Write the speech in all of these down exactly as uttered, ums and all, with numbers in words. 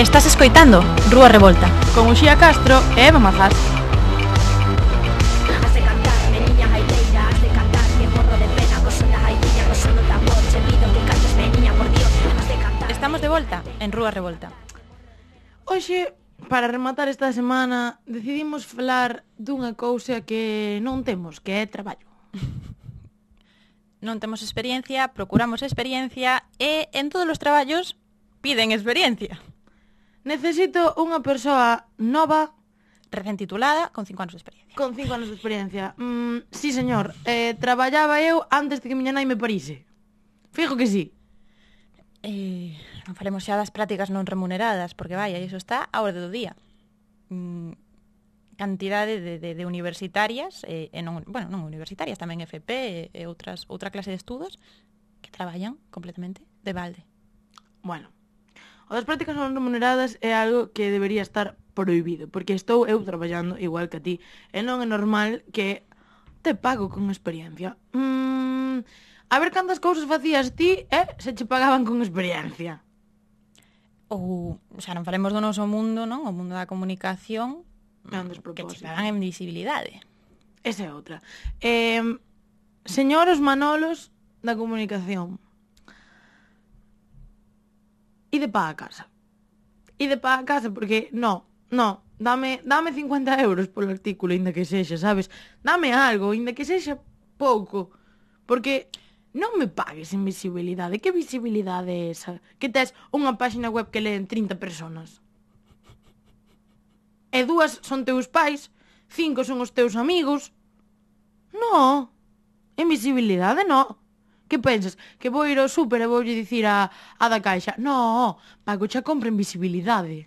Estás escoitando Rúa Revolta con Uxía Castro e Eva Mazás. Estamos de volta en Rúa Revolta. Hoxe, para rematar esta semana, decidimos falar dunha cousa que non temos, que é traballo. Non temos experiencia, procuramos experiencia e en todos os traballos piden experiencia. Necesito unha persoa nova, recén titulada, con cinco anos de experiencia. con cinco anos de experiencia. Mm, sí, señor. Eh, traballaba eu antes de que miña nai me parise. Fijo que sí. Eh, non falemos xa das prácticas non remuneradas, porque vai, iso está a orde do día. Mm, cantidade de, de, de universitarias, e, e non, bueno, non universitarias, tamén F P e, e outras, outra clase de estudos que traballan completamente de balde. Bueno, o das prácticas non remuneradas é algo que debería estar prohibido, porque estou eu traballando igual que a ti, e non é normal que te pago con experiencia. Mm, a ver cantas cousas facías ti, eh, se che pagaban con experiencia. Ou, xa non falemos do noso mundo, non? O mundo da comunicación, É un que che despropósito. pagan en visibilidade. Esa é outra. Eh, señoros Manolos da comunicación, ide pa a casa. Ide pa a casa porque, no, no, dame, dame cincuenta euros polo artículo, inda que sexa, sabes? Dame algo, inda que sexa pouco. Porque non me pagues en visibilidade. Que visibilidade é esa? Que tes unha páxina web que leen trinta personas. E dúas son teus pais, cinco son os teus amigos. No, en visibilidade no. Que pensas? Que vou ir ao súper e voulle dicir a, a da caixa? No, pago xa compra en visibilidade.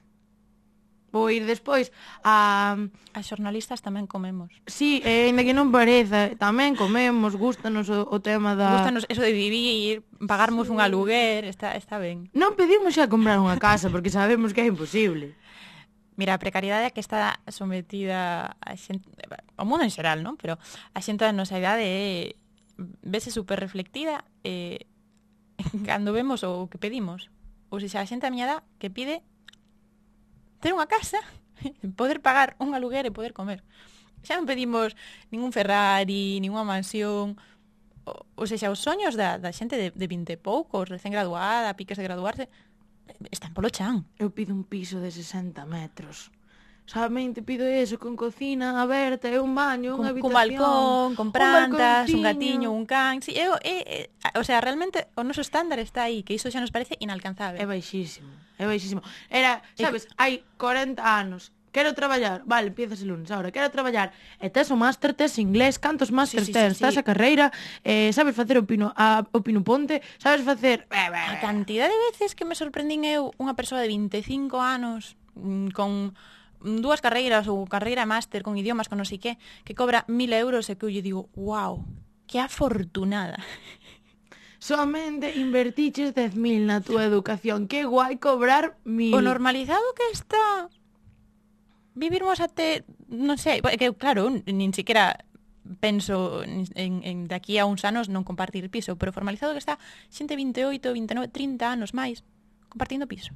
Vou ir despois a... As xornalistas tamén comemos. Sí, e ainda que non pareza, tamén comemos, gustanos o, o tema da... Gustanos eso de vivir, pagarmos un aluguer, está, está ben. Non pedimos xa comprar unha casa porque sabemos que é imposible. Mira, a precariedade a que está sometida a xente, o mundo en xeral, non? Pero a xente da nosa idade é, vese super reflectida eh, cando vemos o que pedimos. Ou seja, a xente da miña edad que pide ter unha casa, poder pagar un aluguer e poder comer. Xa non pedimos ningún Ferrari, ninguna mansión. O, ou seja, os soños da, da xente de, de vinte e poucos, recén graduada, piques de graduarse, están polo chan. Eu pido un piso de sesenta metros. Solamente pido eso, con cocina aberta e un baño, unha Con, con habitación. balcón, con plantas, un, un gatiño, un can. Sí, eu, eh, eh, o sea, realmente o noso estándar está aí, que iso xa nos parece inalcanzable. É baixísimo, é baixísimo. Era, sabes, hai corenta anos. Quero traballar, vale, empiezas el lunes ahora. Quero traballar, e tes o máster, tes inglés, cantos máster Sí, sí, tes, sí, tes sí. a carreira, eh, sabes facer o pino, a, o pino ponte, sabes facer... A cantidad de veces que me sorprendín eu unha persoa de vinte e cinco anos mm, con dúas carreiras ou carreira e máster con idiomas, con non sei que, que cobra mil euros e que eu lle digo, wow, que afortunada. Somente invertiches dez mil na túa educación. Que guai cobrar mil. O normalizado que está vivirmos até, non sei, que claro, nin siquiera penso en, en de aquí a uns anos non compartir piso, pero formalizado que está xente vinte e oito, vinte e nove, trinta anos máis compartindo piso.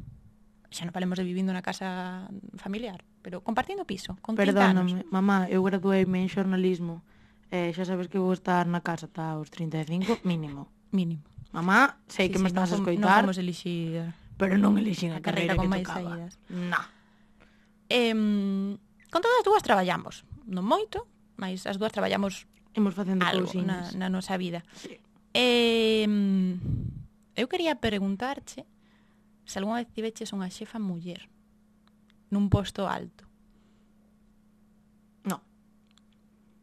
Xa non falemos de vivindo na casa familiar, pero compartindo piso, con trinta anos. Perdóname, mamá, eu gradueime en xornalismo. Eh, xa sabes que vou estar na casa ata os trinta e cinco, mínimo. Mínimo. Mamá, sei Sí, que me sí, estás a non fom- escoitar, Non fomos elixir pero non elixín a a carreira carreira con que máis tocaba. saídas. Na. Eh, con todas as dúas traballamos, non moito, mas as dúas traballamos Imos facendo algo cousiñas. na, na nosa vida. Sí. Eh, eu quería preguntarche se algunha vez tiveches unha xefa muller nun posto alto. No.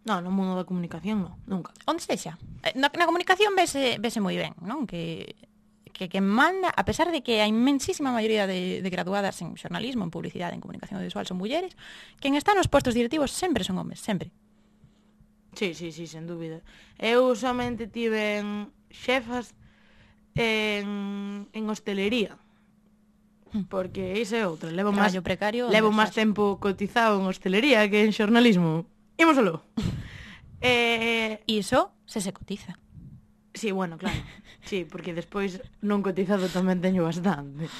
No, no mundo da comunicación, no, nunca. Onde sexa? Eh, Na, na comunicación vese, vese moi ben, non? Que, que, que manda, a pesar de que a inmensísima maioría de, de graduadas en xornalismo, en publicidade, en comunicación audiovisual son mulleres, quen está nos postos directivos sempre son homes, sempre. Sí, sí, sí, sen dúbida. Eu somente tive xefas en, en hostelería. Porque iso é outra. Levo máis Traballo precario. levo onde máis estás. tempo cotizado en hostelería que en xornalismo. Ímosolo. eh, Iso se se cotiza. sí, bueno, claro. Sí, porque despois non cotizado tamén teño bastante.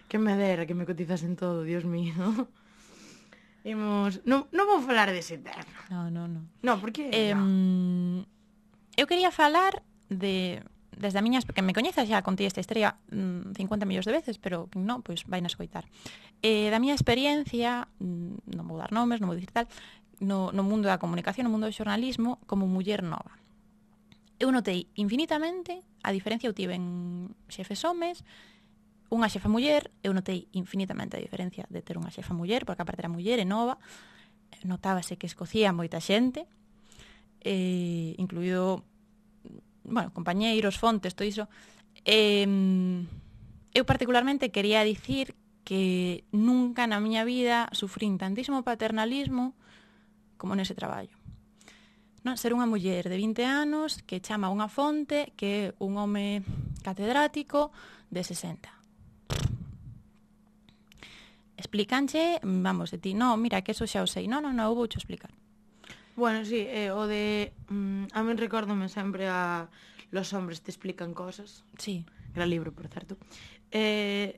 Que me dera que me cotizasen todo, Dios mío. Imos... Non, non vou falar dese tema. No, no, no. No, porque... Eh, no. Eu quería falar de... Desde a miña... Que me coñezas xa, contei esta historia mmm, cincuenta millóns de veces, pero que non, pois vai na escoitar. Eh, da miña experiencia, non vou dar nomes, non vou dicir tal, no, no mundo da comunicación, no mundo do xornalismo, como muller nova. Eu notei infinitamente a diferencia, eu tive en xefes homes, unha xefa muller, eu notei infinitamente a diferencia de ter unha xefa muller, porque aparte era muller e nova, notábase que escocía moita xente, eh, incluído, bueno, compañeiros, fontes, todo iso. Eh, eu particularmente quería dicir que nunca na miña vida sufrín tantísimo paternalismo como nese traballo. Non, ser unha muller de vinte anos que chama unha fonte que é un home catedrático de sesenta. Explícanche, vamos, de ti, no, mira, que eso xa o sei. No, no, no, eu voucho explicar. Bueno, sí, eh, o de... Mm, a min recórdome sempre a Los hombres te explican cosas. Sí. Gran libro, por certo. Eh,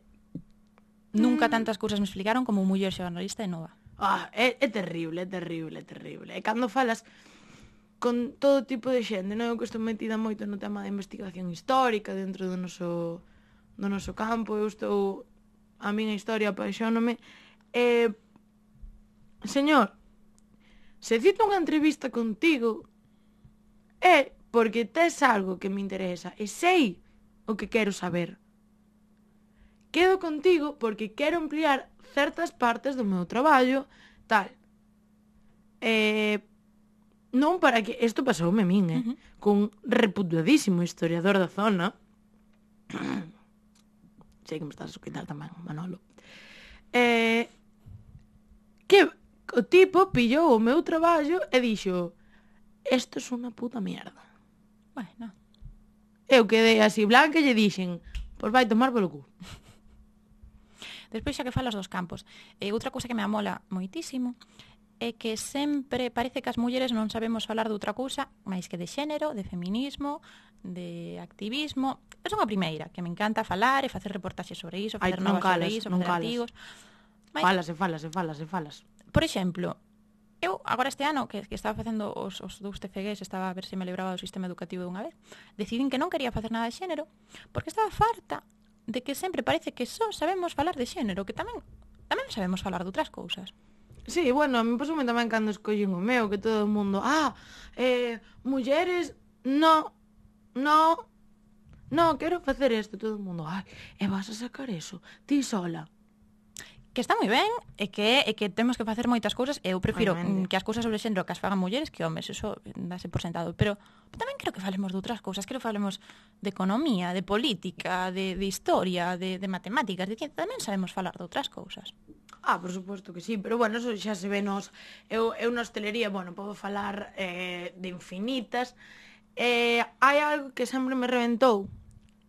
Nunca mm, tantas cousas me explicaron como muller xornalista e nova. Ah, é, é terrible, é terrible, é terrible. E cando falas con todo tipo de xente, non? Eu que estou metida moito no tema da investigación histórica dentro do noso, do noso campo, eu estou... A miña historia apaixónome. Eh, señor, se cito unha entrevista contigo é porque tes algo que me interesa e sei o que quero saber. Quedo contigo porque quero ampliar certas partes do meu traballo, tal. Eh, non para que... Isto pasoume a min, eh? Uh-huh. Cun reputadísimo historiador da zona. Sei que me estás a escoitar tamén, Manolo. Eh, que o tipo pillou o meu traballo e dixo: esto é unha puta mierda. Bueno. Eu quedei así blanca e lle dixen: pois vai tomar polo cu. Despois xa que falas dos campos, eh, outra cousa que me amola moitísimo é que sempre parece que as mulleres non sabemos falar de outra cousa máis que de xénero, de feminismo, de activismo. Eu son a primeira, que me encanta falar e facer reportaxes sobre iso, facer Ai, non novas calas, sobre iso, non facer calas. artigos. Mas... Falas e falas e falas e falas. Por exemplo, eu agora este ano que, que estaba facendo os, os dous T F Gs, estaba a ver se me libraba do sistema educativo de unha vez, decidín que non quería facer nada de xénero porque estaba farta de que sempre parece que só sabemos falar de xénero, que tamén tamén sabemos falar de outras cousas. Sí, bueno, a mí pasoume tamén cando escollen o meu, que todo o mundo, ah, eh, mulleres, no, no, no, quero facer isto, todo o mundo, ai, e vas a sacar eso, ti sola. Que está moi ben, e que é que temos que facer moitas cousas, e eu prefiro Obviamente. que as cousas sobre xénero que as fagan mulleres que homes, eso dase por sentado, pero tamén creo que falemos de outras cousas, creo que falemos de economía, de política, de, de historia, de, de matemáticas, de ciencia, tamén sabemos falar de outras cousas. Ah, por suposto que sí, pero bueno, eso xa se ve nos... Eu, eu na hostelería, bueno, podo falar eh, de infinitas. Eh, hai algo que sempre me reventou,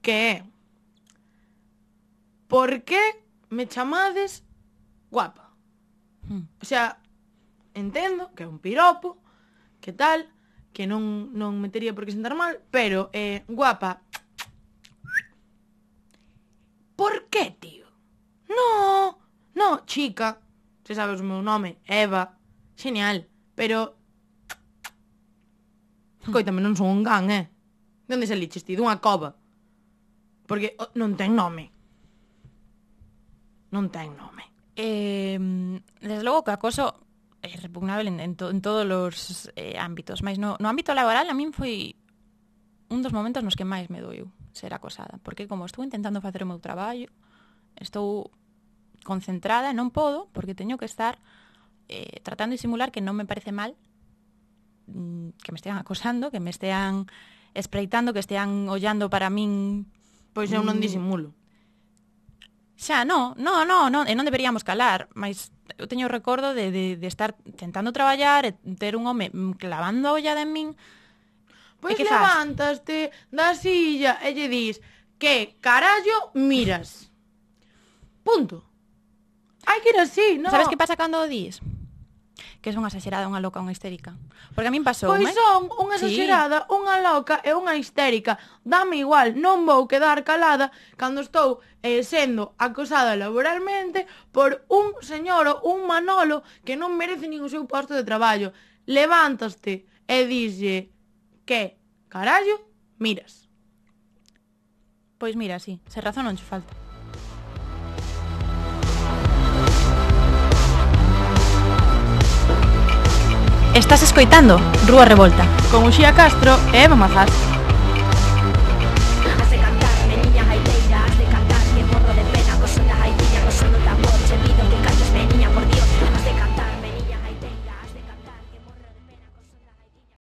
que é... Por que me chamades guapa? Hmm. O sea, entendo que é un piropo, que tal, que non, non me tería por que sentar mal, pero eh, guapa... Por que, tío? No... No, chica, se sabes o meu nome, Eva, genial, pero... Coítame, non son un gan, eh? De onde saliches ti? Dunha cova? Porque oh, non ten nome. Non ten nome. Eh, desde logo que o acoso é repugnable en, en, to, en todos os eh, ámbitos, mas no, no ámbito laboral a min foi un dos momentos nos que máis me doeu ser acosada, porque como estou intentando facer o meu traballo, estou concentrada e non podo, porque teño que estar eh, tratando de simular que non me parece mal mm, que me estean acosando, que me estean espreitando, que estean ollando para min. Pois eu non disimulo. Xa, non, non, non, non, e non deberíamos calar, mas eu teño o recordo de, de, de estar tentando traballar e ter un home clavando a ollada en min. Pois levantaste da silla e lle dis que carallo miras. Punto. Hai que ir así, non? Sabes que pasa cando o dis? Que es unha exagerada, unha loca, unha histérica. Porque a min pasou, Pois eh? son unha Sí. exagerada, unha loca e unha histérica. Dame igual, non vou quedar calada cando estou eh, sendo acosada laboralmente por un señor, un Manolo, que non merece nin o seu posto de traballo. Levántaste e dixe que, carallo, miras. Pois mira, sí, se razón non che falta. Estás escoitando Rúa Revolta Con Uxía Castro e Eva Mazás.